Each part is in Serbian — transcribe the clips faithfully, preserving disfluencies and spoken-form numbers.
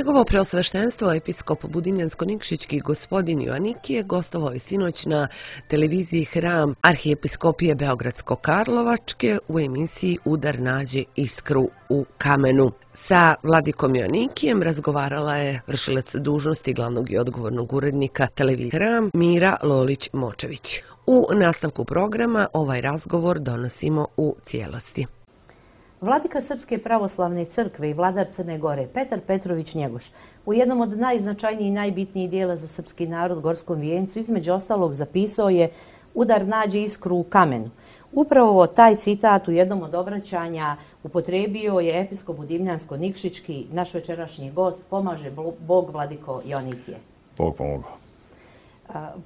Njegovo preosveštenstvo episkop Budimljansko-Nikšićki gospodin Joanikije gostovao je sinoć na televiziji Hram Arhijepiskopije Beogradsko-Karlovačke u emisiji Udar nađe iskru u kamenu. Sa vladikom Joanikijem razgovarala je vršilac dužnosti glavnog i odgovornog urednika televizije Hram Mira Lolić-Močević. U nastavku programa ovaj razgovor donosimo u cijelosti. Vladika Srpske pravoslavne crkve i vladar Crne Gore Petar Petrović Njegoš u jednom od najznačajnijih i najbitnijih dijela za srpski narod Gorskom vijencu između ostalog zapisao je udar nađe iskru u kamenu. Upravo taj citat u jednom od obraćanja upotrijebio je episkop Budimljansko-Nikšićki, naš večerašnji gost, pomaže Bog vladiko Joanikije. Bog pomogao.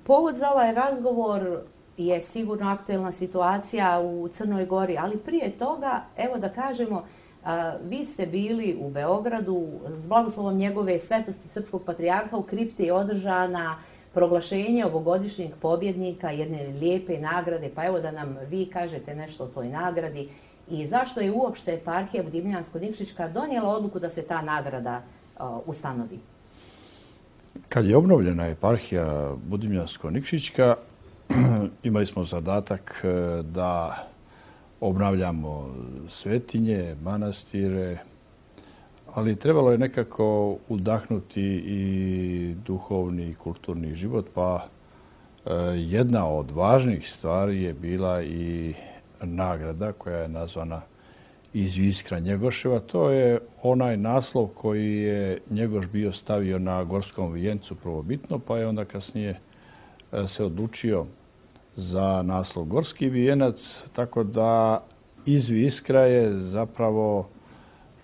Povod za ovaj razgovor je sigurno aktuelna situacija u Crnoj Gori, ali prije toga, evo da kažemo, vi ste bili u Beogradu, s blagoslovom njegove svetosti srpskog patrijarha u kripti je održana proglašenje ovogodišnjeg pobjednika jedne lijepe nagrade, pa evo da nam vi kažete nešto o toj nagradi i zašto je uopšte eparhija Budimljansko-Nikšićka donijela odluku da se ta nagrada ustanovi. Kad je obnovljena eparhija Budimljansko-Nikšićka, imali smo zadatak da obnavljamo svetinje, manastire, ali trebalo je nekako udahnuti i duhovni i kulturni život, pa jedna od važnih stvari je bila i nagrada koja je nazvana Iz iskra Njegoševa. To je onaj naslov koji je Njegoš bio stavio na Gorskom vijencu prvobitno, pa je onda kasnije se odlučio za naslov Gorski vijenac, tako da Iz iskra je zapravo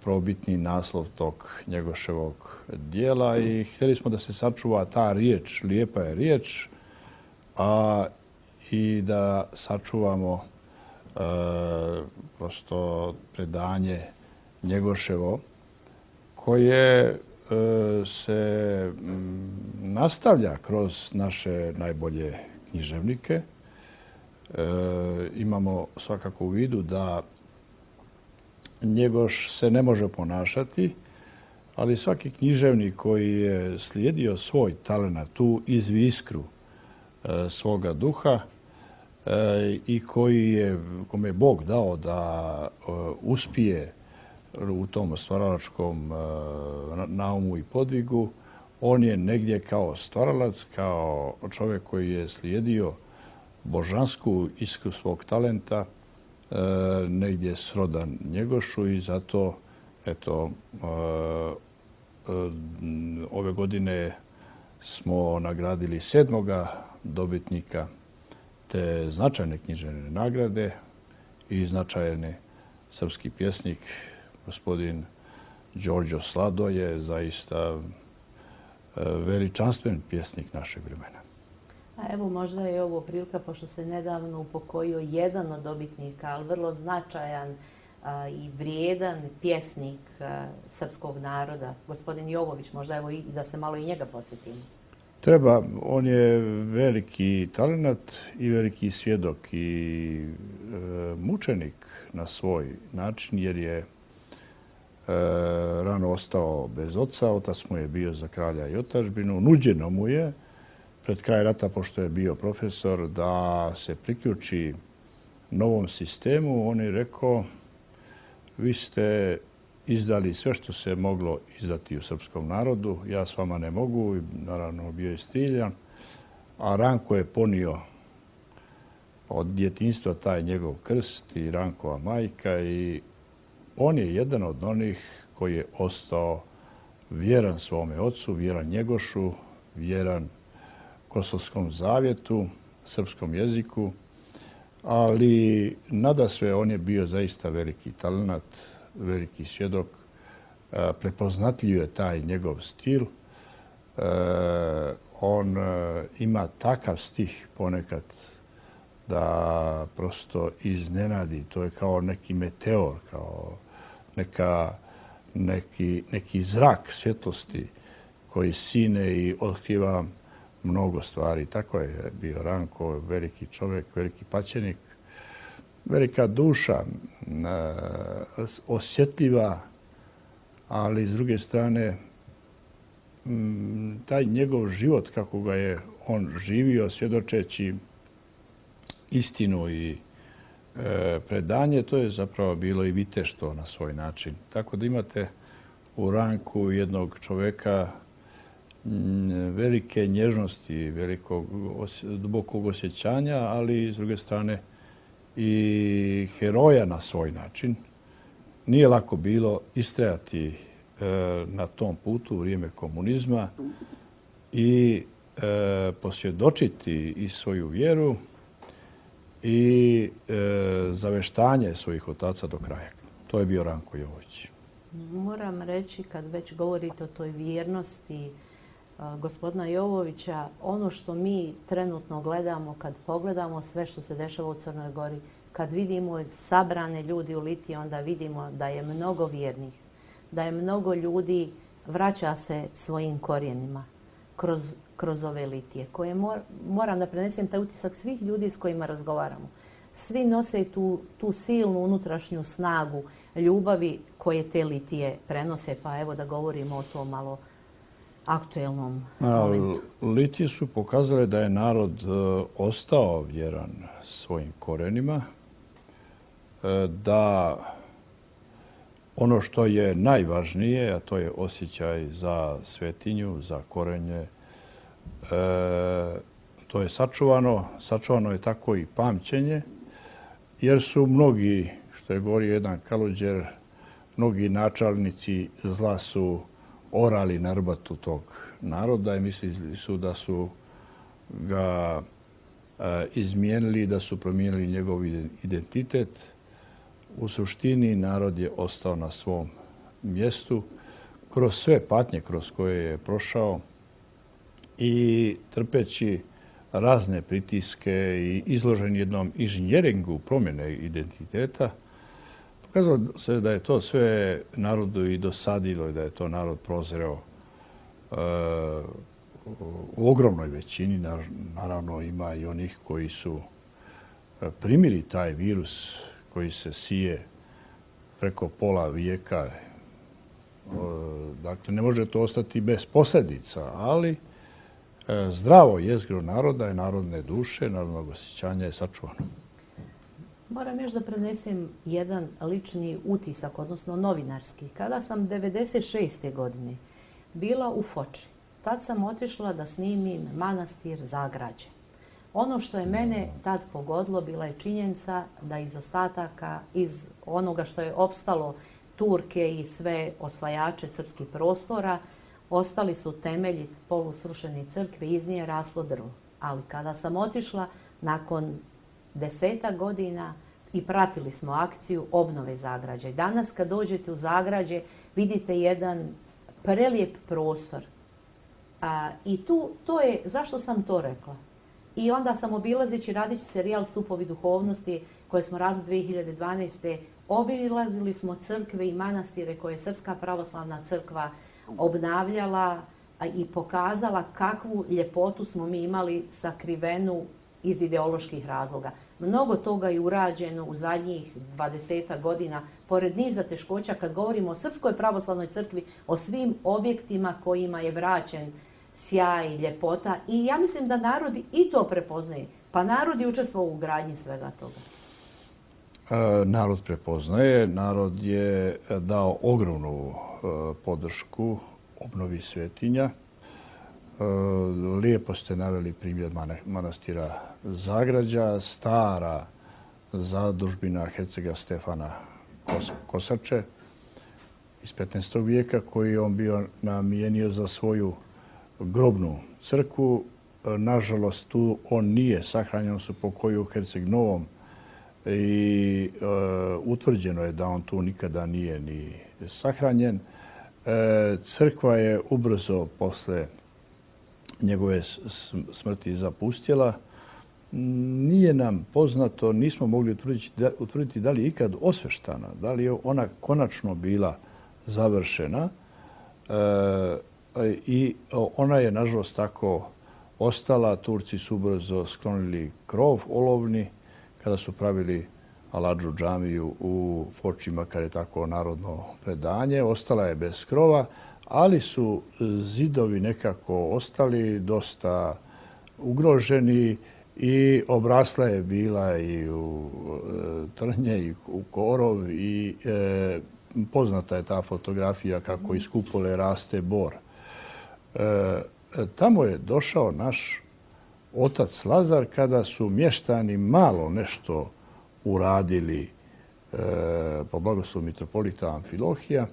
prvobitni naslov tog Njegoševog dijela i htjeli smo da se sačuva ta riječ, lijepa je riječ, a i da sačuvamo e, prosto predanje Njegoševo koje e, se m, nastavlja kroz naše najbolje književnike. E, imamo svakako u vidu da Njegoš se ne može ponašati, ali svaki književnik koji je slijedio svoj talenat, tu izviskru e, svoga duha e, i koji je, kome je Bog dao da e, uspije u tom stvaralačkom e, naumu i podvigu, on je negdje kao stvaralac, kao čovjek koji je slijedio božansku iskru svog talenta, e, negdje srodan Njegošu i zato eto, e, e, ove godine smo nagradili sedmoga dobitnika te značajne književne nagrade i značajne srpski pjesnik, gospodin Đorđo Slado je zaista veličanstven pjesnik našeg vremena. A evo možda je ovo prilika, pošto se nedavno upokojio jedan od dobitnika, ali vrlo značajan a, i vrijedan pjesnik a, srpskog naroda, gospodin Jovović, možda evo i da se malo i njega posjetimo. Treba, on je veliki talenat i veliki svjedok i e, mučenik na svoj način, jer je e, rano ostao bez oca, otac mu je bio za kralja i otadžbinu, nuđeno mu je pred kraj rata, pošto je bio profesor, da se priključi novom sistemu. On je rekao, vi ste izdali sve što se moglo izdati u srpskom narodu, ja s vama ne mogu, naravno bio je stiljan, a Ranko je ponio od djetinjstva taj njegov krst i Rankova majka i on je jedan od onih koji je ostao vjeran svome ocu, vjeran Njegošu, vjeran Kosovskom zavjetu, srpskom jeziku, ali nadasve on je bio zaista veliki talenat, veliki svjedok, prepoznatljiv je taj njegov stil. On ima takav stih ponekad da prosto iznenadi. To je kao neki meteor, kao neka, neki, neki zrak svjetlosti koji sine i otkriva mnogo stvari. Tako je bio Ranko, veliki čovjek, veliki paćenik, velika duša, osjetljiva, ali s druge strane taj njegov život, kako ga je on živio, svjedočeći istinu i predanje, to je zapravo bilo i viteštvo na svoj način. Tako da imate u Ranku jednog čoveka velike nježnosti, velikog dubokog osjećanja, ali s druge strane i heroja na svoj način. Nije lako bilo istrajati na tom putu u vrijeme komunizma i posvjedočiti i svoju vjeru i zaveštanje svojih otaca do kraja. To je bio Ranko Jovović. Moram reći, kad već govorite o toj vjernosti gospodina Jovovića, ono što mi trenutno gledamo, kad pogledamo sve što se dešava u Crnoj Gori, kad vidimo sabrane ljudi u Litiji, onda vidimo da je mnogo vjernih, da je mnogo ljudi vraća se svojim korijenima kroz, kroz ove Litije, koje mor, moram da prenesem taj utisak svih ljudi s kojima razgovaramo. Svi nose tu, tu silnu unutrašnju snagu ljubavi koje te Litije prenose, pa evo da govorimo o tom malo aktuelnom momentu. Litije su pokazale da je narod ostao vjeran svojim korenima, da ono što je najvažnije, a to je osjećaj za svetinju, za korenje, to je sačuvano. Sačuvano je tako i pamćenje, jer su mnogi, što je govorio jedan Kaluđer, mnogi načalnici zla su orali na rbatu tog naroda i mislili su da su ga izmijenili, da su promijenili njegov identitet. U suštini narod je ostao na svom mjestu kroz sve patnje kroz koje je prošao i trpeći razne pritiske i izložen jednom inženjeringu promjene identiteta, pokazalo se da je to sve narodu i dosadilo i da je to narod prozreo e, u ogromnoj većini. Naravno ima i onih koji su primili taj virus koji se sije preko pola vijeka. Dakle, ne može to ostati bez posljedica, ali zdravo jezgro naroda i narodne duše, narodnog osjećanja je sačuvano. Moram još da prenesem jedan lični utisak, odnosno novinarski. Kada sam devedeset šeste godine bila u Foči, tad sam otišla da snimim manastir Zagrađe. Ono što je mene tad pogodilo bila je činjenica da iz ostataka, iz onoga što je opstalo Turke i sve osvajače srpskih prostora, ostali su temelji polusrušene crkve, iz nje raslo drvo. Ali kada sam otišla nakon desetak godina i pratili smo akciju obnove Zagrađa. Danas kad dođete u Zagrađe vidite jedan prelijep prostor. A, I tu, to je, zašto sam to rekla? I onda sam obilazeći radeći serijal Stupovi duhovnosti koje smo radili dvije hiljade dvanaeste. obilazili smo crkve i manastire koje je Srpska pravoslavna crkva obnavljala i pokazala kakvu ljepotu smo mi imali sakrivenu iz ideoloških razloga. Mnogo toga je urađeno u zadnjih dvadesetak godina, pored niza teškoća kad govorimo o Srpskoj pravoslavnoj crkvi, o svim objektima kojima je vraćen sjaj, ljepota. I ja mislim da narod i to prepoznaje. Pa narod je učestvovao u gradnji svega toga. E, narod prepoznaje. Narod je dao ogromnu e, podršku obnovi svetinja. E, lijepo ste naveli primjer manastira Zagrađa, stara zadužbina hercega Stefana Kosače iz petnaestog vijeka, koji je on bio namijenio za svoju grobnu crkvu. Nažalost, tu on nije sahranjen, su pokoji u Herceg Novom i e, utvrđeno je da on tu nikada nije ni sahranjen. E, crkva je ubrzo posle njegove smrti zapustila. Nije nam poznato, nismo mogli utvrditi da, utvrditi da li je ikad osveštana, da li je ona konačno bila završena. E, I ona je, nažalost, tako ostala. Turci su ubrzo sklonili krov olovni kada su pravili Aladžu džamiju u Foči, makar je tako narodno predanje. Ostala je bez krova, ali su zidovi nekako ostali dosta ugroženi i obrasla je bila i u trnje i u korov i e, poznata je ta fotografija kako iz kupole raste bor. E, tamo je došao naš otac Lazar kada su mještani malo nešto uradili e, po blagoslovu mitropolita Amfilohija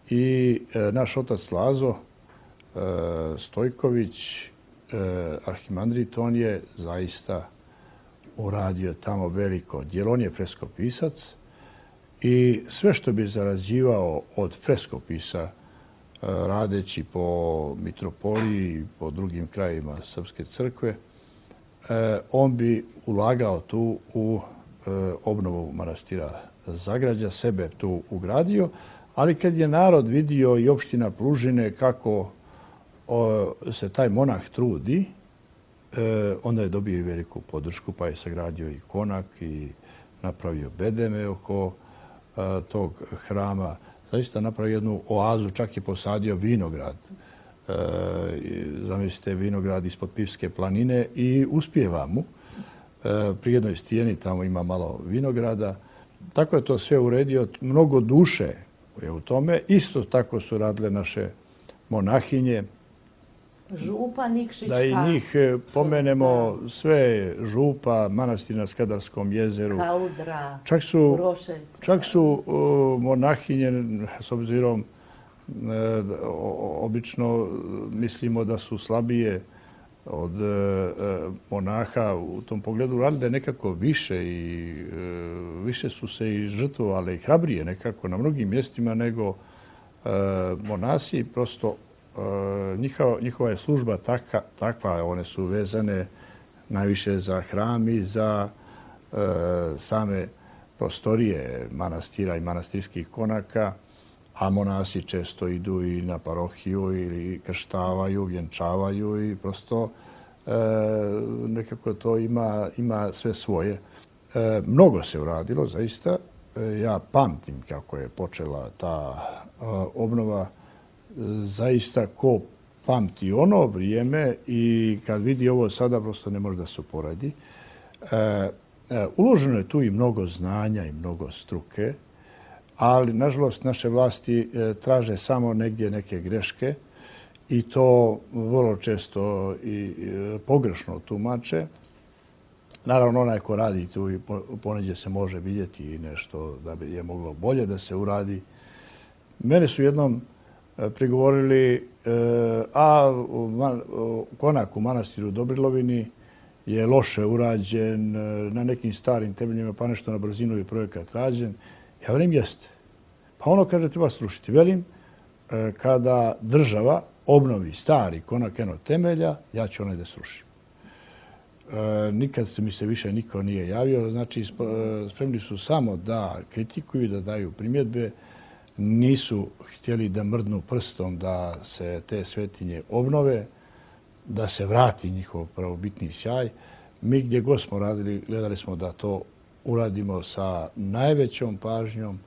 i e, naš otac Lazo e, Stojković, e, arhimandrit, on je zaista uradio tamo veliko djelo. On je freskopisac i sve što bi zarađivao od freskopisa e, radeći po mitropoliji i po drugim krajima Srpske crkve, e, on bi ulagao tu u e, obnovu manastira Zagrađa, sebe tu ugradio, ali kad je narod vidio i opština Plužine kako o, se taj monah trudi, e, onda je dobio i veliku podršku, pa je sagradio i konak i napravio bedeme oko a, tog hrama. Zaista napravio jednu oazu, čak je posadio vinograd. E, zamislite, vinograd ispod Pivske planine i uspijeva mu. E, pri jednoj stijeni tamo ima malo vinograda. Tako je to sve uredio, mnogo duše je u tome. Isto tako su radile naše monahinje. Župa Nikšićka. Da i njih pomenemo, sve župa, manastir na Skadarskom jezeru. Kaudra, čak su, Urošec. Čak su uh, monahinje, s obzirom, uh, obično mislimo da su slabije od uh, monaha u tom pogledu, radile nekako više i uh, više su se i žrtvovale i hrabrije nekako na mnogim mjestima nego uh, monasi. Prosto Njihova, njihova je služba taka, takva, one su vezane najviše za hram i za e, same prostorije manastira i manastirskih konaka, a monasi često idu i na parohiju ili krštavaju, vjenčavaju i prosto e, nekako to ima, ima sve svoje. E, mnogo se uradilo, zaista. E, ja pamtim kako je počela ta e, obnova. Zaista ko pamti ono vrijeme i kad vidi ovo sada prosto ne može da se uporedi. E, e, uloženo je tu i mnogo znanja i mnogo struke, ali nažalost naše vlasti e, traže samo negdje neke greške i to vrlo često i e, pogrešno tumače. Naravno, onaj ko radi tu i poneđe se može vidjeti nešto da bi je moglo bolje da se uradi. Mene su jednom prigovorili, a konak u manastiru Dobrilovini je loše urađen, na nekim starim temeljima, pa nešto na brzinu je projekat rađen. Ja velim, jeste. Pa ono kaže, treba srušiti. Velim, kada država obnovi stari konak eno temelja, ja ću onaj da srušim. Nikad se mi se više niko nije javio, znači spremni su samo da kritikuju, da daju primjedbe, nisu htjeli da mrdnu prstom da se te svetinje obnove, da se vrati njihov pravobitni sjaj. Mi gdje god smo radili, gledali smo da to uradimo sa najvećom pažnjom,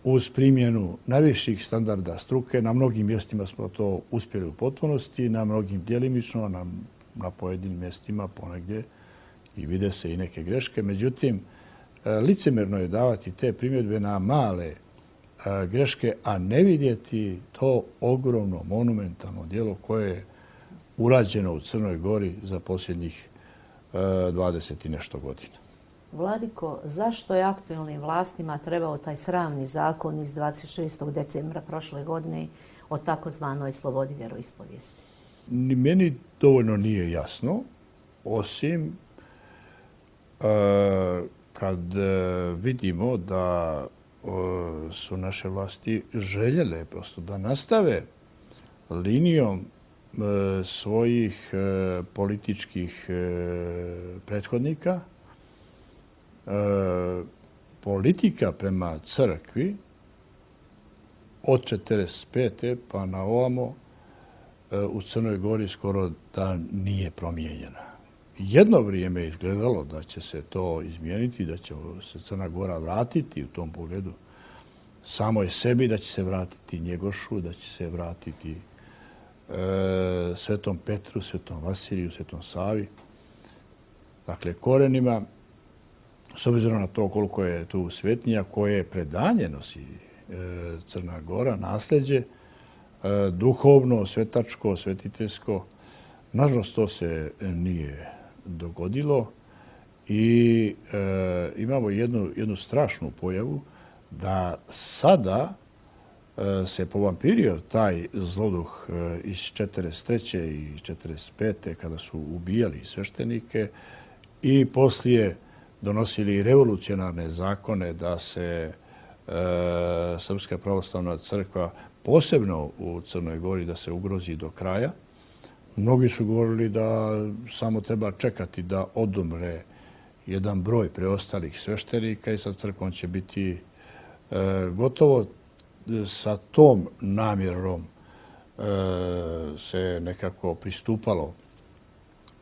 uz primjenu najviših standarda struke. Na mnogim mjestima smo to uspjeli u potpunosti, na mnogim djelimično, na, na pojedinim mjestima ponegdje i vide se i neke greške. Međutim, licemjerno je davati te primjedbe na male greške, a ne vidjeti to ogromno, monumentalno djelo koje je urađeno u Crnoj Gori za posljednjih dvadeset i nešto godina. Vladiko, zašto je aktualnim vlastima trebao taj sramni zakon iz dvadeset šestog decembra prošle godine o takozvanoj slobodi vjeroispovijesti? Ni meni dovoljno nije jasno, osim kad vidimo da su naše vlasti željele prosto da nastave linijom svojih političkih prethodnika. Politika prema crkvi od četrdeset pete pa na ovamo u Crnoj Gori skoro da nije promijenjena. Jedno vrijeme je izgledalo da će se to izmijeniti, da će se Crna Gora vratiti u tom pogledu samoj sebi, da će se vratiti Njegošu, da će se vratiti e, Svetom Petru, Svetom Vasiliju, Svetom Savi. Dakle, korenima, s obzirom na to koliko je tu svetinja, koje predanje nosi e, Crna Gora, nasljeđe, e, duhovno, svetačko, svetiteljsko, nažalost to se nije dogodilo i e, imamo jednu, jednu strašnu pojavu da sada e, se povampirio taj zloduh e, iz četrdeset treće i četrdeset pete kada su ubijali sveštenike i poslije donosili revolucionarne zakone da se e, Srpska pravoslavna crkva, posebno u Crnoj Gori, da se ugrozi do kraja. Mnogi su govorili da samo treba čekati da odumre jedan broj preostalih sveštenika i sa crkvom će biti e, gotovo. Sa tom namjerom e, se nekako pristupalo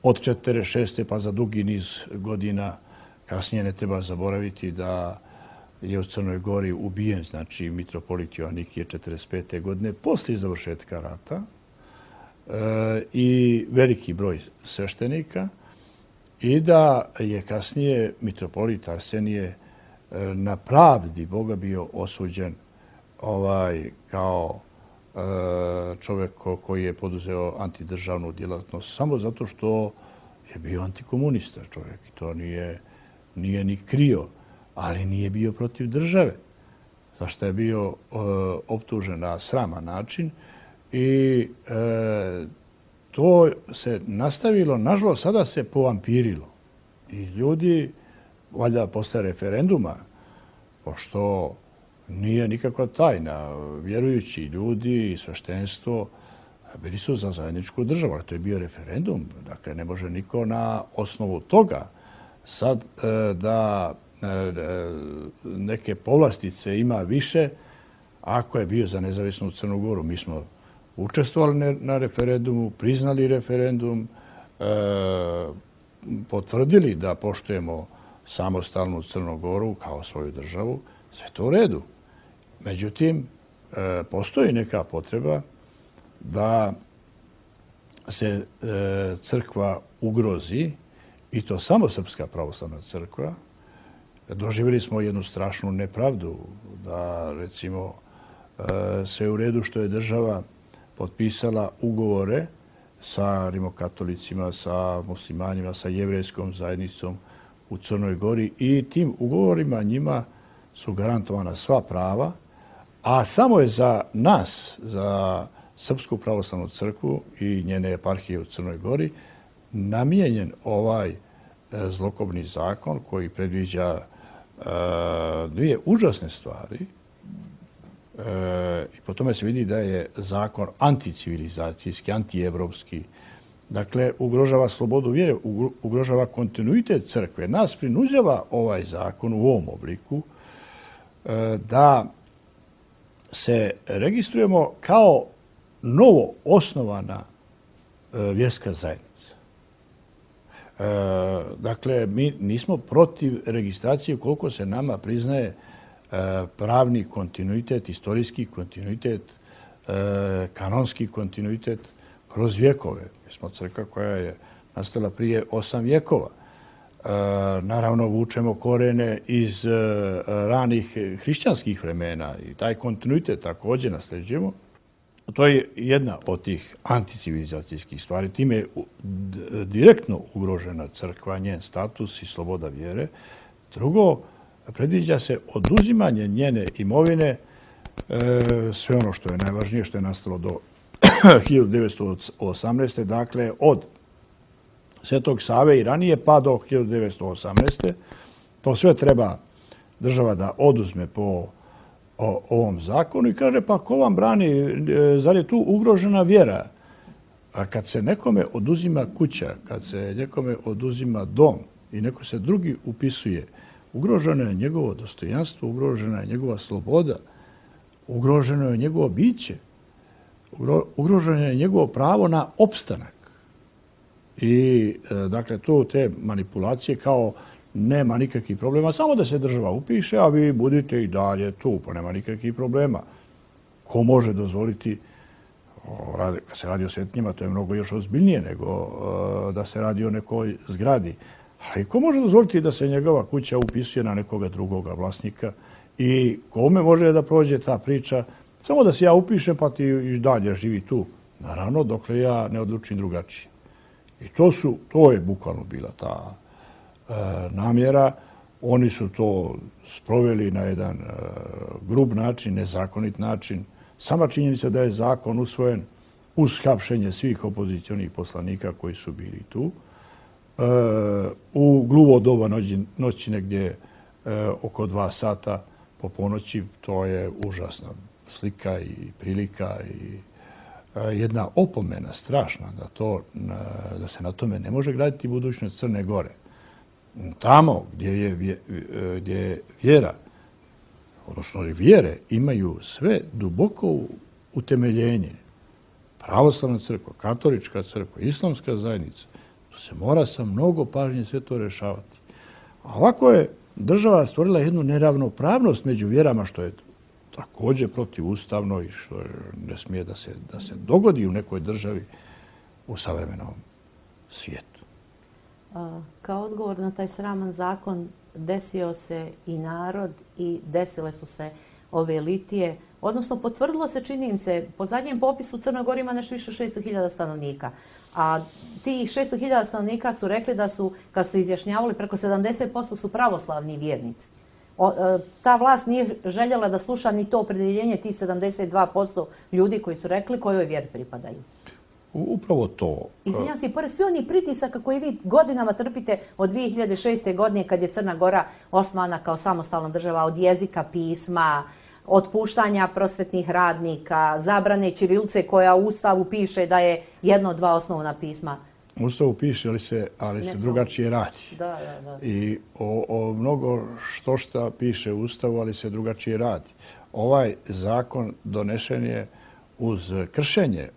od četrdeset šeste pa za dugi niz godina. Kasnije ne treba zaboraviti da je u Crnoj Gori ubijen, znači, mitropolit Joanikije četrdeset pete godine, poslije završetka rata, e, i veliki broj sveštenika, i da je kasnije mitropolit Arsenije e, na pravdi Boga bio osuđen ovaj, kao e, čovjek koji je poduzeo antidržavnu djelatnost, samo zato što je bio antikomunista čovjek. To nije, nije ni krio, ali nije bio protiv države, zašto je bio e, optužen na sraman način i e, to se nastavilo, nažalost, sada se povampirilo. I ljudi, valjda posle referenduma, pošto nije nikakva tajna, vjerujući ljudi i sveštenstvo bili su za zajedničku državu, ali to je bio referendum. Dakle, ne može niko na osnovu toga sad e, da e, neke povlastice ima više ako je bio za nezavisnu Crnu Goru. Mi smo učestvovali na referendumu, priznali referendum, e, potvrdili da poštujemo samostalnu Crnu Goru kao svoju državu, sve to u redu. Međutim, e, postoji neka potreba da se e, crkva ugrozi, i to samo Srpska pravoslavna crkva. Doživjeli smo jednu strašnu nepravdu da, recimo, e, sve u redu što je država potpisala ugovore sa rimokatolicima, sa muslimanima, sa jevrejskom zajednicom u Crnoj Gori i tim ugovorima njima su garantovana sva prava, a samo je za nas, za Srpsku pravoslavnu crkvu i njene eparhije u Crnoj Gori, namijenjen ovaj zlokobni zakon koji predviđa e, dvije užasne stvari. E, I po tome se vidi da je zakon anticivilizacijski, antievropski. Dakle, ugrožava slobodu vjere, ugrožava kontinuitet crkve. Nas prinuđava ovaj zakon u ovom obliku e, da se registrujemo kao novo osnovana e, vjerska zajednica. E, dakle, mi nismo protiv registracije koliko se nama priznaje e, pravni kontinuitet, istorijski kontinuitet, e, kanonski kontinuitet kroz vjekove. Mi smo crkva koja je nastala prije osam vjekova. E, naravno, vučemo korene iz e, ranih hrišćanskih vremena i taj kontinuitet također nasljeđujemo. To je jedna od tih anticivilizacijskih stvari. Time je direktno ugrožena crkva, njen status i sloboda vjere. Drugo, predviđa se oduzimanje njene imovine, e, sve ono što je najvažnije, što je nastalo do hiljadu devetsto osamnaeste. Dakle, od Svetog Save i ranije pa do hiljadu devetsto osamnaeste. To sve treba država da oduzme po o ovom zakonu i kaže, pa ko vam brani, zar je tu ugrožena vjera? A kad se nekome oduzima kuća, kad se nekome oduzima dom i neko se drugi upisuje, ugroženo je njegovo dostojanstvo, ugrožena je njegova sloboda, ugroženo je njegovo biće, ugroženo je njegovo pravo na opstanak. I, dakle, tu te manipulacije kao nema nikakvih problema, samo da se država upiše, a vi budite i dalje tu, pa nema nikakvih problema. Ko može dozvoliti, kad se radi o svetinjama, to je mnogo još ozbiljnije nego da se radi o nekoj zgradi. Ali ko može dozvoliti da se njegova kuća upisuje na nekoga drugoga vlasnika i kome može da prođe ta priča, samo da se ja upišem pa ti i dalje živi tu. Naravno, dokle ja ne odlučim drugačije. I to su, to je bukvalno bila ta e, namjera. Oni su to sproveli na jedan e, grub način, nezakonit način. Sama činjenica da je zakon usvojen uz hapšenje svih opozicionih poslanika koji su bili tu. E, u gluvo doba noći, noći negdje e, oko dva sata po ponoći, to je užasna slika i prilika i jedna opomena strašna da, to, da se na tome ne može graditi budućnost Crne Gore. Tamo gdje je, gdje je vjera, odnosno vjere, imaju sve duboko utemeljenje. Pravoslavna crkva, katolička crkva, islamska zajednica, to se mora sa mnogo pažnje sve to rešavati. A ovako je država stvorila jednu neravnopravnost među vjerama, što je također protivustavno i što ne smije da se, da se dogodi u nekoj državi u savremenom svijetu. Kao odgovor na taj sraman zakon desio se i narod i desile su se ove litije, odnosno potvrdilo se, čini im se, po zadnjem popisu Crna Gora ima nešto više od šesto hiljada stanovnika. A tih šesto hiljada stanovnika su rekli da su, kad su izjašnjavali, preko sedamdeset posto su pravoslavni vjernici. O, ta vlast nije željela da sluša ni to opredjeljenje tih sedamdeset dva posto ljudi koji su rekli kojoj vjeri pripadaju. Upravo to. Izvinjam se, pored svi oni pritisaka koji vi godinama trpite od dvije hiljade šeste. godine kad je Crna Gora osnovana kao samostalna država, od jezika, pisma, otpuštanja prosvetnih radnika, zabrane ćirilice koja u Ustavu piše da je jedno od dva osnovna pisma. U Ustavu piše, ali se, ali se drugačije radi. Da, da, da. I o, o mnogo što šta piše u Ustavu, ali se drugačije radi. Ovaj zakon donešen je uz kršenje e,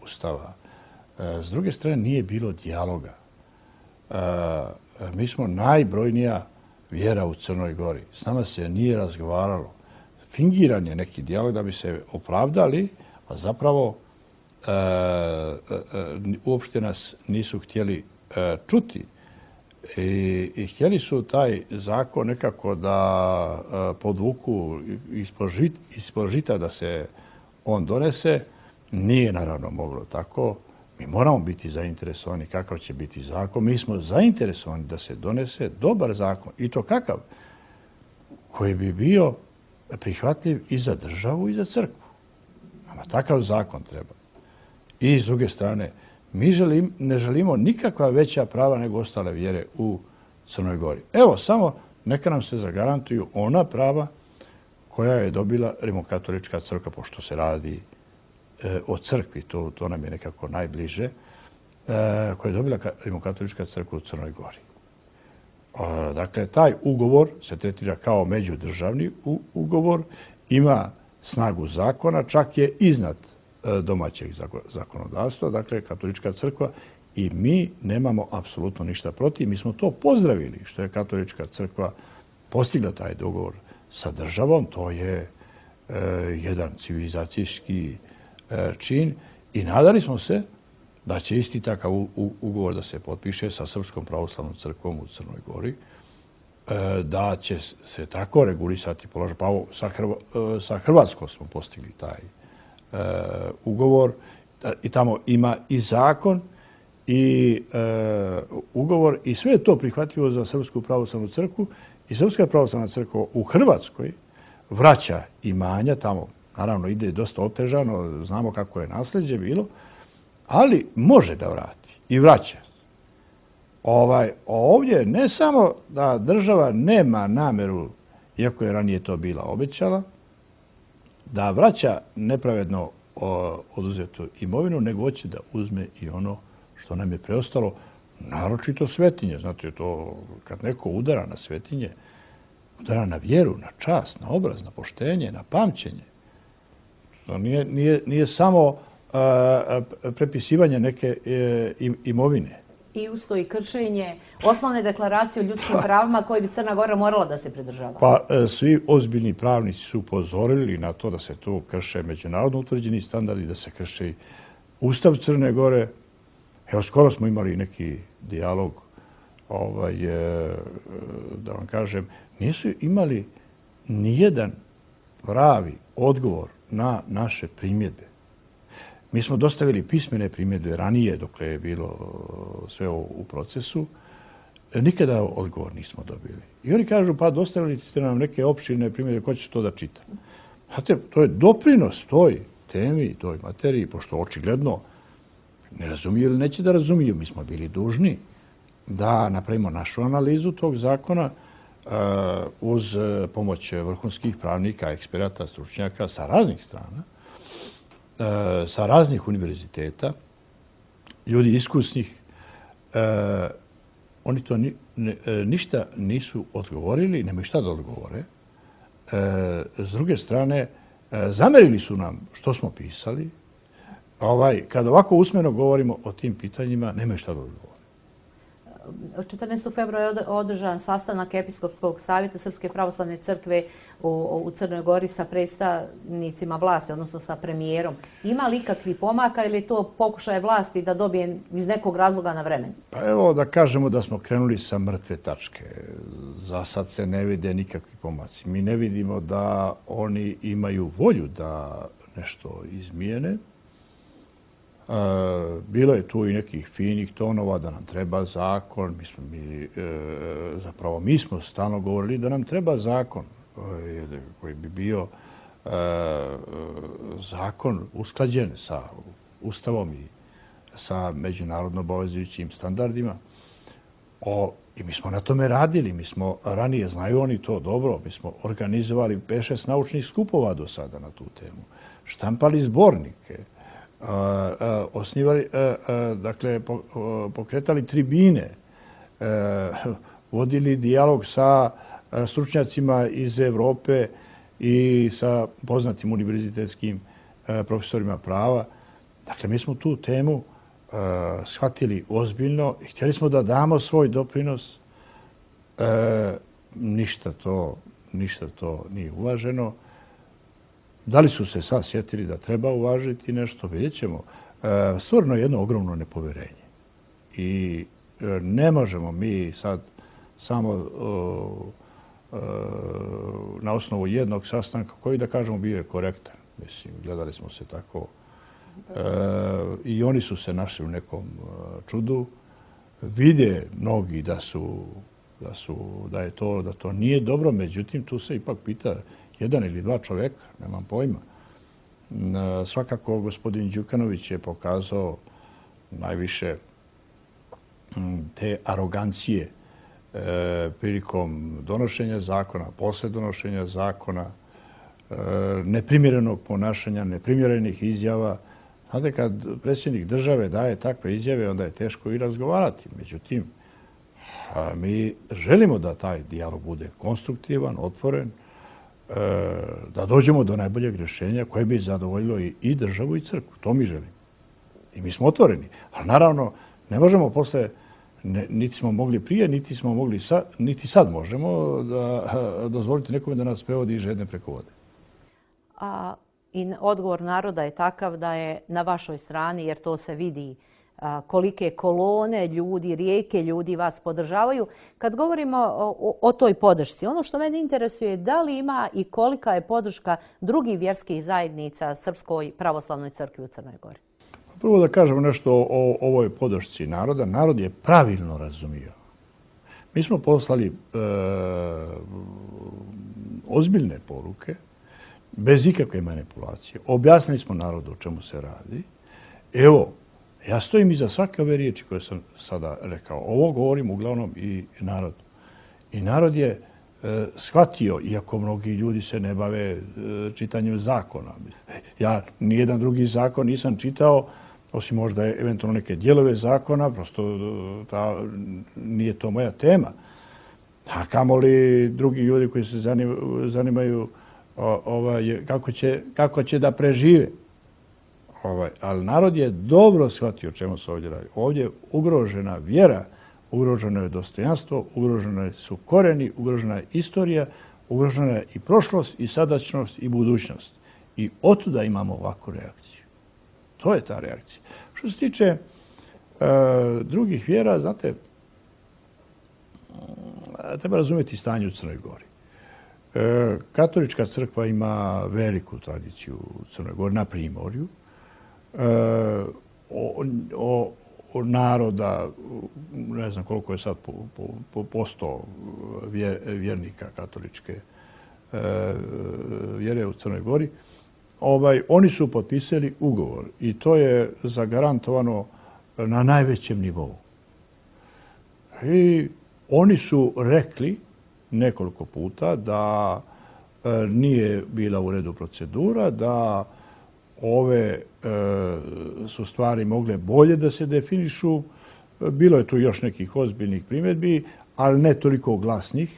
Ustava. E, s druge strane, nije bilo dijaloga. E, mi smo najbrojnija vjera u Crnoj Gori. S nama se nije razgovaralo. Fingiran je neki dijalog da bi se opravdali, a zapravo e, e, uopšte nas nisu htjeli e, čuti. I, I htjeli su taj zakon nekako da e, podvuku ispod, žit, ispod žita da se on donese. Nije naravno moglo tako. Mi moramo biti zainteresovani kakav će biti zakon. Mi smo zainteresovani da se donese dobar zakon. I to kakav? Koji bi bio prihvatljiv i za državu i za crkvu. Nama takav zakon treba. I s druge strane, mi želim, ne želimo nikakva veća prava nego ostale vjere u Crnoj Gori. Evo, samo neka nam se zagarantuju ona prava koja je dobila Rimokatolička crkva, pošto se radi e, o crkvi, to, to nam je nekako najbliže, e, koja je dobila Rimokatolička crkva u Crnoj Gori. E, dakle, taj ugovor se tretira kao međudržavni ugovor, ima snagu zakona, čak je iznad domaćeg zakonodavstva, dakle Katolička crkva, i mi nemamo apsolutno ništa protiv. Mi smo to pozdravili što je Katolička crkva postigla taj dogovor sa državom. To je e, jedan civilizacijski e, čin i nadali smo se da će isti takav u, u, ugovor da se potpiše sa Srpskom pravoslavnom crkvom u Crnoj Gori, e, da će se tako regulisati položaj. Pa sa, Hrva, sa Hrvatskom smo postigli taj Uh, ugovor i tamo ima i zakon i uh, ugovor i sve je to prihvatljivo za Srpsku pravoslavnu crkvu i Srpska pravoslavna crkva u Hrvatskoj vraća imanja, tamo naravno ide dosta otežano, znamo kako je nasljeđe bilo, ali može da vrati i vraća. Ovaj, ovdje ne samo da država nema nameru, iako je ranije to bila obećala, da vraća nepravedno oduzetu imovinu, nego hoće da uzme i ono što nam je preostalo, naročito svetinje. Znate, to kad neko udara na svetinje, udara na vjeru, na čast, na obraz, na poštenje, na pamćenje. To nije, nije, nije samo a, a, prepisivanje neke e, imovine. I usto i kršenje osnovne deklaracije o ljudskim pravima koje bi Crna Gora morala da se pridržava. Pa svi ozbiljni pravnici su upozorili na to da se tu krše međunarodno utvrđeni standardi, da se krše Ustav Crne Gore. Evo, skoro smo imali neki dijalog, ovaj, da vam kažem, nisu imali nijedan pravi odgovor na naše primjedbe. Mi smo dostavili pismene primjedbe ranije, dok je bilo sve u procesu. Nikada odgovor nismo dobili. I oni kažu, pa dostavili ste nam neke opširne primjedbe, ko će to da čita? Znate, to je doprinos toj temi, toj materiji, pošto očigledno ne razumiju ili neće da razumiju. Mi smo bili dužni da napravimo našu analizu tog zakona uz pomoć vrhunskih pravnika, eksperata, stručnjaka sa raznih strana, sa raznih univerziteta, ljudi iskusnih. Oni to ništa nisu odgovorili, nemaju šta da odgovore. S druge strane, zamerili su nam što smo pisali. Kad ovako usmeno govorimo o tim pitanjima, nemaju šta da odgovore. četrnaestog februara je održan sastanak Episkopskog savjeta Srpske pravoslavne crkve u Crnoj Gori sa predstavnicima vlasti, odnosno sa premijerom. Ima li ikakvi pomaka ili je to pokušaj vlasti da dobije iz nekog razloga na vremen? Pa evo da kažemo da smo krenuli sa mrtve tačke. Za sad se ne vide nikakvi pomaci. Mi ne vidimo da oni imaju volju da nešto izmijene. Bilo je tu i nekih finih tonova da nam treba zakon. Mi smo, mi, zapravo mi smo stalno govorili da nam treba zakon koji bi bio zakon usklađen sa Ustavom i sa međunarodno obavezujućim standardima. O, I mi smo na tome radili. Mi smo ranije, znaju oni to dobro, mi smo organizovali pet šest naučnih skupova do sada na tu temu. Štampali zbornike. Osnivali, dakle, pokretali tribine, vodili dijalog sa stručnjacima iz Evrope i sa poznatim univerzitetskim profesorima prava. Dakle, mi smo tu temu shvatili ozbiljno i htjeli smo da damo svoj doprinos. Ništa to, ništa to nije uvaženo. Da li su se sad sjetili da treba uvažiti nešto, vidjet ćemo. Stvarno je jedno ogromno nepoverenje. I ne možemo mi sad samo na osnovu jednog sastanka koji, da kažemo, bio je korektan. Mislim, gledali smo se tako. I oni su se našli u nekom čudu. Vide mnogi da su, da su, da je to, da to nije dobro, međutim, tu se ipak pita jedan ili dva čovjeka, nemam pojma. Svakako, gospodin Đukanović je pokazao najviše te arogancije prilikom donošenja zakona, posle donošenja zakona, neprimjerenog ponašanja, neprimjerenih izjava. Znate, kad predsjednik države daje takve izjave, onda je teško i razgovarati. Međutim, mi želimo da taj dijalog bude konstruktivan, otvoren, da dođemo do najboljeg rješenja koje bi zadovoljilo i državu i crkvu. To mi želimo. I mi smo otvoreni. Ali naravno, ne možemo posle, niti smo mogli prije, niti smo mogli sad, niti sad možemo da dozvoliti nekome da nas prevodi iz žedne preko vode. A i odgovor naroda je takav da je na vašoj strani, jer to se vidi kolike kolone ljudi, rijeke ljudi vas podržavaju. Kad govorimo o, o toj podršci, ono što mene interesuje je da li ima i kolika je podrška drugih vjerskih zajednica Srpskoj pravoslavnoj crkvi u Crnoj Gori. Prvo da kažemo nešto o ovoj podršci naroda. Narod je pravilno razumio. Mi smo poslali e, ozbiljne poruke, bez ikakve manipulacije. Objasnili smo narodu o čemu se radi. Evo, ja stojim iza svake ove riječi koje sam sada rekao. Ovo govorim uglavnom i narod. I narod je e, shvatio, iako mnogi ljudi se ne bave e, čitanjem zakona. Ja nijedan drugi zakon nisam čitao, osim možda eventualno neke dijelove zakona, prosto ta, nije to moja tema. A kamoli drugi ljudi koji se zanimaju, zanimaju o, ovaj, kako, će, kako će da prežive. Ovaj, ali narod je dobro shvatio o čemu se ovdje radi. Ovdje je ugrožena vjera, ugroženo je dostojanstvo, ugroženo su koreni, ugrožena je istorija, ugrožena je i prošlost, i sadašnjost, i budućnost. I otuda imamo ovakvu reakciju. To je ta reakcija. Što se tiče e, drugih vjera, znate, treba razumjeti stanje u Crnoj Gori. E, katolička crkva ima veliku tradiciju u Crnoj Gori, na Primorju. E, o, o, o naroda, ne znam koliko je sad po, po, po posto vjer, vjernika katoličke e, vjere u Crnoj Gori, ovaj, oni su potpisali ugovor i to je zagarantovano na najvećem nivou. I oni su rekli nekoliko puta da e, nije bila u redu procedura, da ove e, su stvari mogle bolje da se definišu. Bilo je tu još nekih ozbiljnih primjedbi, ali ne toliko glasnih.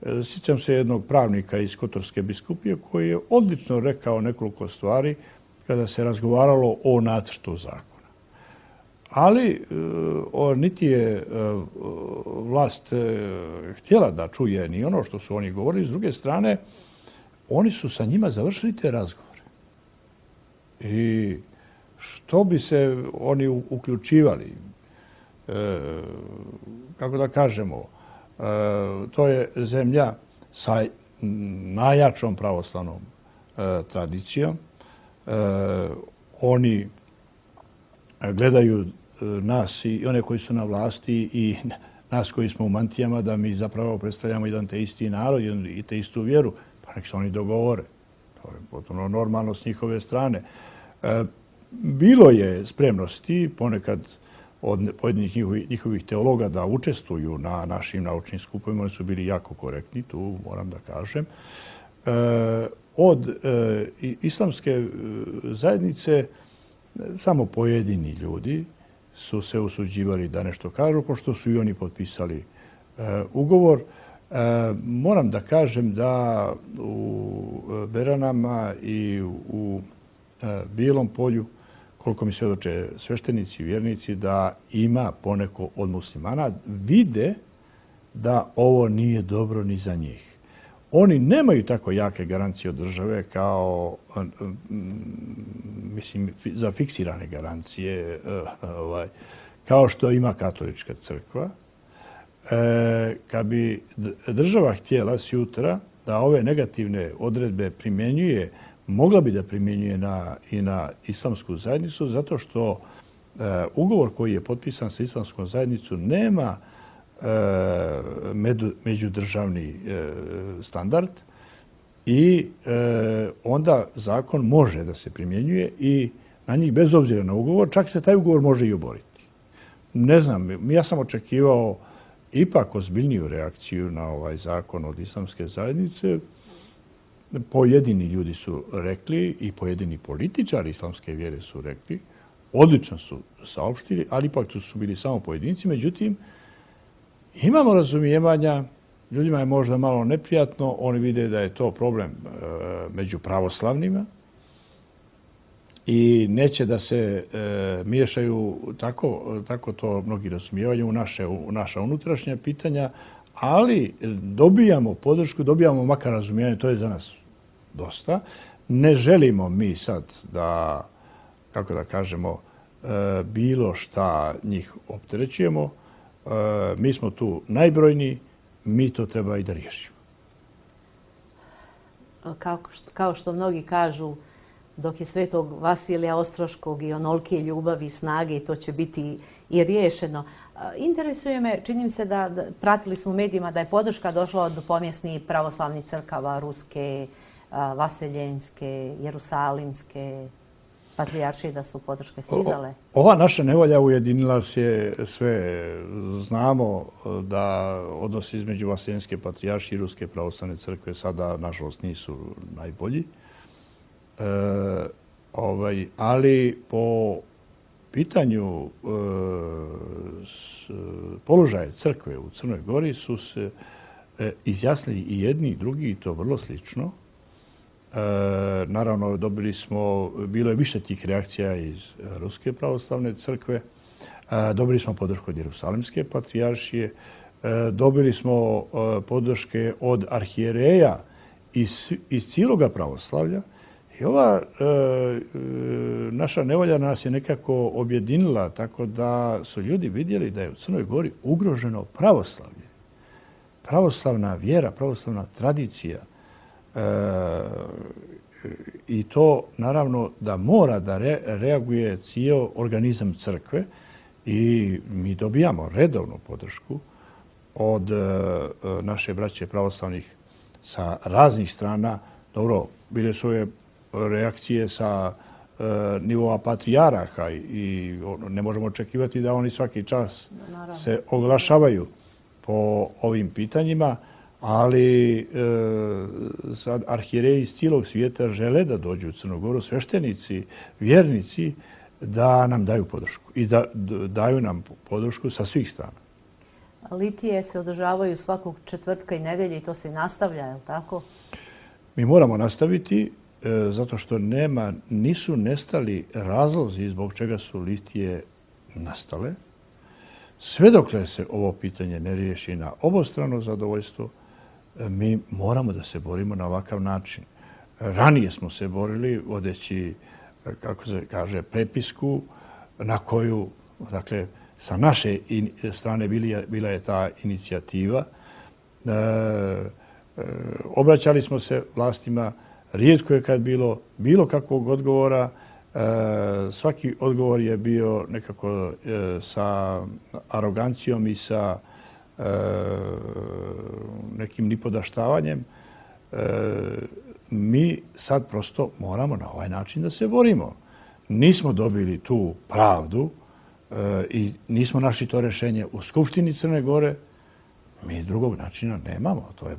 E, sjećam se jednog pravnika iz Kotorske biskupije koji je odlično rekao nekoliko stvari kada se razgovaralo o nacrtu zakona. Ali o, niti je e, vlast e, htjela da čuje ni ono što su oni govorili. S druge strane, oni su sa njima završili te razgovore. I što bi se oni uključivali? E, kako da kažemo, e, to je zemlja sa najjačom pravoslavnom e, tradicijom. E, oni gledaju nas i one koji su na vlasti i nas koji smo u mantijama da mi zapravo predstavljamo jedan te isti narod i te istu vjeru. Pa nek se oni dogovore. To je potpuno normalno s njihove strane. E, bilo je spremnosti ponekad od pojedinih njihovih, njihovih teologa da učestvuju na našim naučnim skupovima. Oni su bili jako korektni, tu moram da kažem. E, od e, islamske zajednice samo pojedini ljudi su se usuđivali da nešto kažu, pošto su i oni potpisali e, ugovor. E, moram da kažem da u Beranama i u e, Bijelom polju, koliko mi svjedoče sveštenici i vjernici, da ima poneko od muslimana, vide da ovo nije dobro ni za njih. Oni nemaju tako jake garancije od države kao, mislim, za fiksirane garancije, ovaj, kao što ima katolička crkva. E, kad bi država htjela sjutra da ove negativne odredbe primjenjuje, mogla bi da primjenjuje na, i na islamsku zajednicu, zato što e, ugovor koji je potpisan sa islamskom zajednicom nema međudržavni standard i onda zakon može da se primjenjuje i na njih bez obzira na ugovor, čak se taj ugovor može i oboriti. Ne znam, ja sam očekivao ipak ozbiljniju reakciju na ovaj zakon od islamske zajednice. Pojedini ljudi su rekli i pojedini političari islamske vjere su rekli, odlično su saopštili, ali ipak tu su bili samo pojedinci, međutim, imamo razumijevanja, ljudima je možda malo neprijatno, oni vide da je to problem e, među pravoslavnima i neće da se e, miješaju, tako, tako to mnogi razumijevaju, u, naše, u naša unutrašnja pitanja, ali dobijamo podršku, dobijamo makar razumijevanje, to je za nas dosta. Ne želimo mi sad da, kako da kažemo, e, bilo šta njih opterećujemo. Mi smo tu najbrojniji, mi to treba i da riješimo. Kao što, kao što mnogi kažu, dok je svetog Vasilija Ostroškog i onolike ljubavi i snage, to će biti i riješeno. Interesuje me, čini se da, da pratili smo u medijima da je podrška došla od pomjesnih pravoslavnih crkava, ruske, vaseljenske, jerusalimske, patrijaršije, da su podrške stizale. Ova naša nevolja ujedinila se sve. Znamo da odnosi između vaseljenske patrijaršije i ruske pravoslavne crkve sada, nažalost, nisu najbolji. E, ovaj, ali po pitanju e, s, položaja crkve u Crnoj Gori su se e, izjasnili i jedni i drugi, i to vrlo slično. naravno, dobili smo, bilo je više tih reakcija iz Ruske pravoslavne crkve, dobili smo podršku od Jerusalimske patrijaršije, dobili smo podrške od arhijereja iz, iz cijeloga pravoslavlja. I ova e, naša nevolja nas je nekako objedinila, tako da su ljudi vidjeli da je u Crnoj Gori ugroženo pravoslavlje. Pravoslavna vjera, pravoslavna tradicija. E, I to naravno da mora da re, reaguje cijel organizam crkve i mi dobijamo redovnu podršku od e, naše braće pravoslavnih sa raznih strana. Dobro, bile su je reakcije sa e, nivoa patrijaraha i ono, ne možemo očekivati da oni svaki čas Naravno. se oglašavaju po ovim pitanjima, ali e, sad arhijereji iz cijelog svijeta žele da dođu u Crnu Goru, sveštenici, vjernici, da nam daju podršku i da daju nam podršku sa svih strana. Litije se održavaju svakog četvrtka i nedelje i to se nastavlja, je li tako? Mi moramo nastaviti e, zato što nema, nisu nestali razlozi zbog čega su litije nastale. Sve dokle se ovo pitanje ne riješi na obostrano zadovoljstvo, e, mi moramo da se borimo na ovakav način. Ranije smo se borili vodeći, kako se kaže, prepisku na koju, dakle, sa naše strane bila je ta inicijativa. E, e, obraćali smo se vlastima, rijetko je kad bilo bilo kakvog odgovora. E, svaki odgovor je bio nekako e, sa arogancijom i sa e, nekim nipodaštavanjem. E, mi sad prosto moramo na ovaj način da se borimo. Nismo dobili tu pravdu i nismo našli to rješenje u Skupštini Crne Gore, mi drugog načina nemamo. To je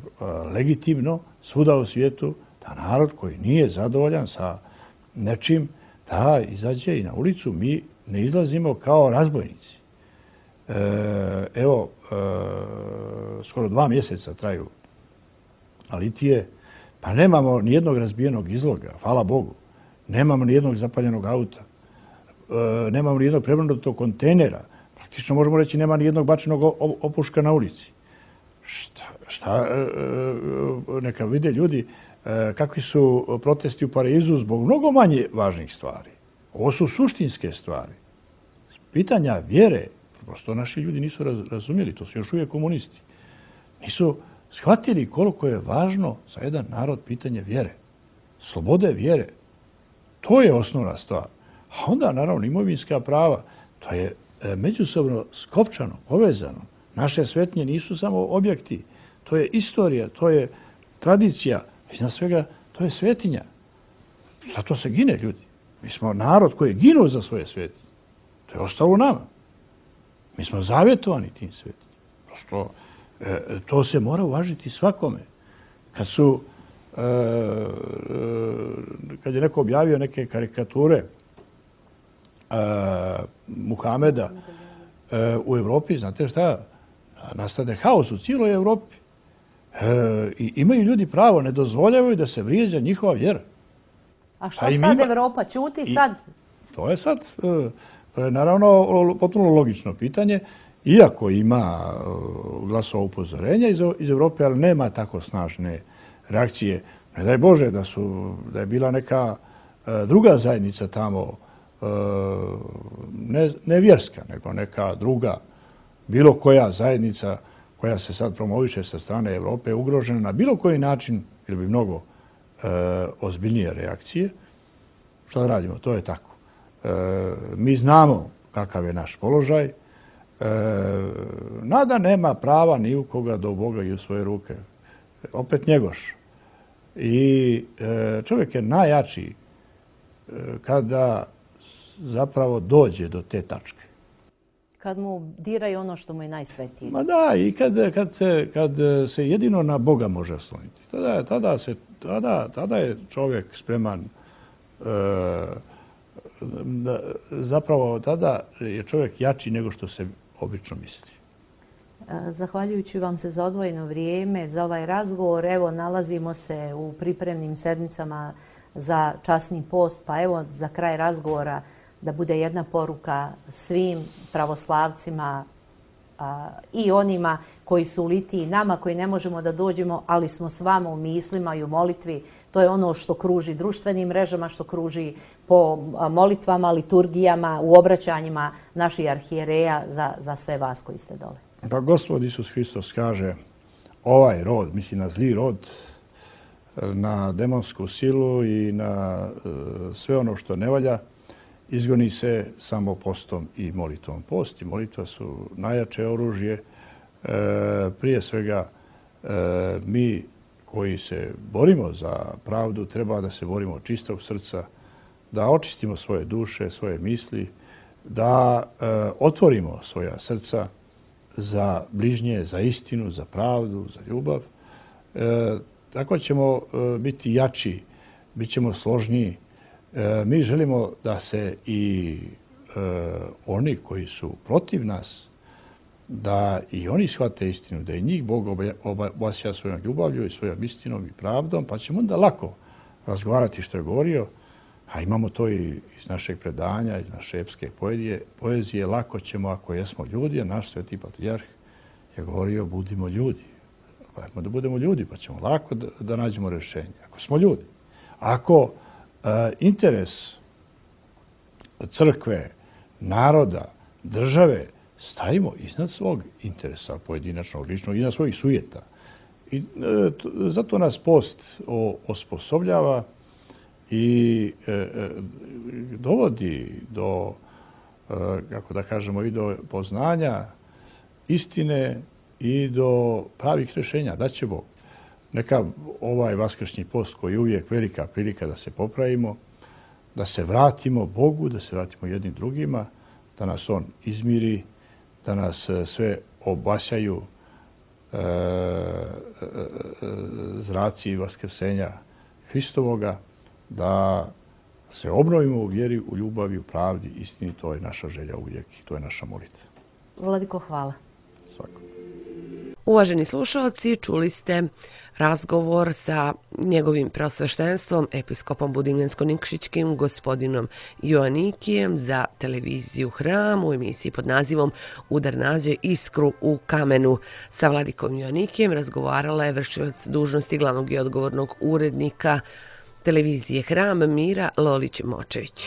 legitimno svuda u svijetu da narod koji nije zadovoljan sa nečim da izađe i na ulicu. Mi ne izlazimo kao razbojnici. Evo, skoro dva mjeseca traju litije, pa nemamo nijednog razbijenog izloga, hvala Bogu. Nemamo nijednog zapaljenog auta. Nemamo nijednog prevrnutog kontejnera. Praktično možemo reći nema nijednog bačenog opuška na ulici. Šta, šta neka vide ljudi kakvi su protesti u Parizu zbog mnogo manje važnih stvari. Ovo su suštinske stvari. Pitanja vjere, prosto naši ljudi nisu razumjeli, to su još uvijek komunisti. Nisu shvatili koliko je važno za jedan narod pitanje vjere. Slobode vjere. To je osnovna stvar. A onda, naravno, imovinska prava, to je međusobno skopčano, povezano. Naše svetnje nisu samo objekti, to je istorija, to je tradicija, iznad svega, to je svetinja. Zato se gine ljudi. Mi smo narod koji je ginuo za svoje svetinje. To je ostalo u nama. Mi smo zavjetovani tim svetinjima. Prosto, e, to se mora uvažiti svakome. Kad su, e, e, kad je neko objavio neke karikature Uh, Muhameda uh, u Evropi, znate šta, nastade haos u cijeloj Evropi. Uh, I imaju ljudi pravo, ne dozvoljavaju da se vrijeđa njihova vjera. A šta sad ima... Evropa ćuti I sad? To je sad, uh, to je naravno potpuno logično pitanje, iako ima uh, glasova upozorenja iz, iz Evrope, ali nema tako snažne reakcije. Ne daj Bože da, su, da je bila neka uh, druga zajednica tamo, ne, ne vjerska, nego neka druga, bilo koja zajednica koja se sad promoviše sa strane Evrope ugrožena na bilo koji način, ili bi mnogo e, ozbiljnije reakcije. Šta da radimo? To je tako. E, mi znamo kakav je naš položaj. E, nada nema prava ni u koga do Boga i u svoje ruke. Opet njegoš. I e, čovjek je najjači e, kada zapravo dođe do te tačke. Kad mu diraju ono što mu je najsvetije. Ma da, i kad, kad, se, kad se jedino na Boga može osloniti. Tada, tada, se, tada, tada je čovjek spreman, e, da, zapravo tada je čovjek jači nego što se obično misli. Zahvaljujući vam se za odvojeno vrijeme, za ovaj razgovor. Evo, nalazimo se u pripremnim sedmicama za časni post, pa evo za kraj razgovora da bude jedna poruka svim pravoslavcima a, i onima koji su u litiji, nama koji ne možemo da dođemo, ali smo s vama u mislima i u molitvi. To je ono što kruži društvenim mrežama, što kruži po molitvama, liturgijama, u obraćanjima naših arhijereja za, za sve vas koji ste dole. Pa Gospod Isus Hristos kaže, ovaj rod, misli na zli rod, na demonsku silu i na e, sve ono što ne valja, izgoni se samo postom i molitvom. Post i molitva su najjače oružje. E, prije svega, e, mi koji se borimo za pravdu, treba da se borimo od čistog srca, da očistimo svoje duše, svoje misli, da e, otvorimo svoja srca za bližnje, za istinu, za pravdu, za ljubav. E, tako ćemo e, biti jači, bit ćemo složniji. E, mi želimo da se i e, oni koji su protiv nas, da i oni shvate istinu, da i njih Bog obasja svojom ljubavlju i svojom istinom i pravdom, pa ćemo onda lako razgovarati što je govorio, a imamo to i iz našeg predanja, iz naše epske poezije, poezije, lako ćemo ako jesmo ljudi, a naš sveti patrijarh je govorio budimo ljudi. Pa da budemo ljudi, pa ćemo lako da, da nađemo rješenje. Ako smo ljudi. Ako e, interes crkve, naroda, države stavimo iznad svog interesa pojedinačnog, ličnog, iznad svojih sujeta. I e, to, zato nas post o, osposobljava i e, e, dovodi do, e, kako da kažemo, i do poznanja istine i do pravih rješenja. Da će Bog. Neka ovaj vaskršnji post koji je uvijek velika prilika da se popravimo, da se vratimo Bogu, da se vratimo jednim drugima, da nas On izmiri, da nas sve obasjaju e, e, zraci vaskrsenja Hristovoga, da se obnovimo u vjeri, u ljubavi, u pravdi, istini. To je naša želja uvijek i to je naša molitva. Vladiko, hvala. Svako. Uvaženi slušalci, čuli ste razgovor sa njegovim preosveštenstvom, episkopom Budimljansko-Nikšićkim, gospodinom Joanikijem za televiziju Hram u emisiji pod nazivom Udar nađe iskru u kamenu. Sa vladikom Joanikijem razgovarala je vršilac dužnosti glavnog i odgovornog urednika televizije Hram Mira Lolić-Močević.